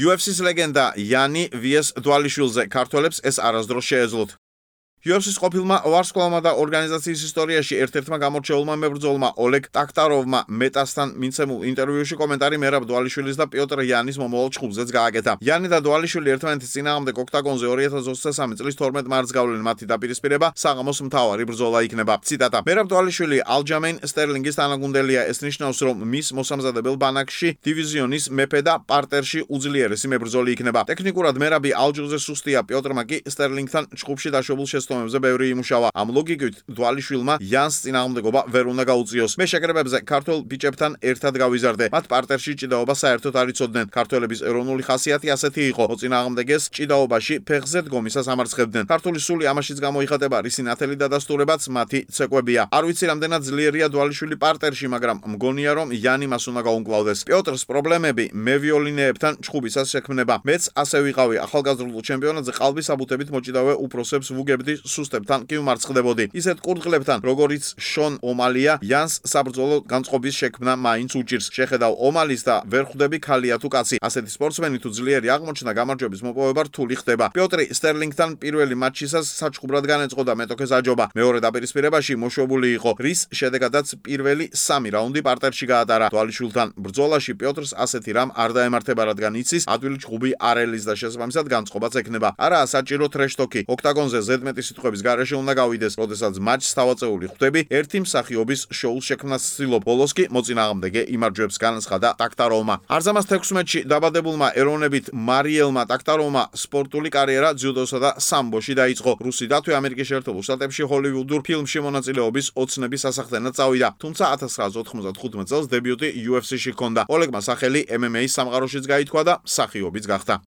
UFC-ს ლეგენდა იანი ვიეს დვალიშვილზე ქართველებს ეს არასდროს შეეძლოთ. UFC-ს ყოფილმა ვარსკვლავმა და ორგანიზაციის ისტორიაში ერთ-ერთმა გამორჩეულმა მებრძოლმა ოლეგ ტაქტაროვმა მეტასთან მიცემულ ინტერვიუში კომენტარი მერაბ დვალიშვილის და პიოტრ იანის მომავალ ჩხუბზეც გააკეთა. იანი და დვალიშვილი ერთმანეთის წინააღმდეგ ოქტაგონზე 2023 წლის 12 მარტს გავლენ მათი დაპირისპირება საღამოს მთავარი ბრძოლა იქნება. ციტატა: მერაბ დვალიშვილი ალჯამეინ სტერლინგის თანაგუნდელია. ეს ნიშნავს, რომ მის მოსამზადებელ ბანაკში დივიზიონის მეფე და პარტერში უძლიერესი მებრძოლი იქნება. ტექნიკურად მერაბი ალჯუზე სუსტია, პიოტრმა კი სტერლინგთან ჩხუბში დაშვებულ ომებზე ბევრი იმუშავა. ამ ლოგიკით დვალიშვილმა იანს წინააღმდეგობა ვერ უნდა გაუწიოს. მე შეკრებებზე ქართველ ბიჭებთან ერთად გავიზარდე. მათ პარტერში ჭიდაობა საერთოდ არ იცოდნენ. ქართველების ეროვნული ხასიათი ასეთი იყო. მოწინააღმდეგეს ჭიდაობაში ფეხზე დგომისას ამარცხებდნენ. ქართული სული ამაშიც გამოიხატება, რისი ნათელი დადასტურებაც მათი ცეკვებია. არ ვიცი რამდენად ძლიერია დვალიშვილი პარტერში, მაგრამ მგონია, რომ იანი მას უნდა გაუმკლავდეს. პიოტრს პრობლემები მევიოლინეებთან ჩხუბისას შექმნება. მეც ასე ვიყავი. ახალგაზრდულ ჩემპიონატზე ყალბის აბუთებით მოჭიდავე უფროსებს ვუგებდი, სუსტებთან კი ვმარცხდებოდი. ისეთ კურდღლებთან, როგორიც შონ ომალია, იანს საბრძოლო განწყობის შექმნა მაინც უჭირს. შეხედავ ომალის და ვერ ხვდები ქალია თუ კაცი. ასეთი სპორტსმენი თუ ძლიერი აღმოჩნდა, გამარჯვების მოპოვება რთული ხდება. პიოტრი სტერლინგთან პირველი მატჩისას საჩხუბრად განეწყო და მეტოქეს აჯობა. მეორე დაპირისპირებაში მოშვებული იყო, რის შედეგადაც პირველი 3 რაუნდი პარტერში გაატარა. დვალიშვილთან ბრძოლაში პიოტრს ასეთი რამ არ დაემართება, რადგან იცის, ადვილი ჩხუბი არ ელის და შესაბამისად განწყობაც ექნება. არაა საჭირო ტრეშტოკი. ოქტაგონზე ზედმეტი სიტყვების გარეშე უნდა გავიდეს, როდესაც მატჩს თავაწეული ხვდები, ერთი მსახიობის შოუს შექმნას ცდილობ. ბოლოს კი მოწინააღმდეგე იმარჯვებს, განაცხადა ტაქტაროვმა. არზამას 16-ში დაბადებულმა ეროვნებით მარიელმა ტაქტაროვმა სპორტული კარიერა ძიუდოსა და სამბოში დაიწყო. რუსი დათვი ამერიკის შეერთებულ შტატებში ჰოლივუდურ ფილმში მონაწილეობის ოცნების სასახდენად წავიდა. თუმცა 1995 წელს დებიუტი UFC-ში ჰქონდა. ოლეგმა სახელი MMA-ის სამყაროშიც გაითქვა და მსახიობიც გახდა.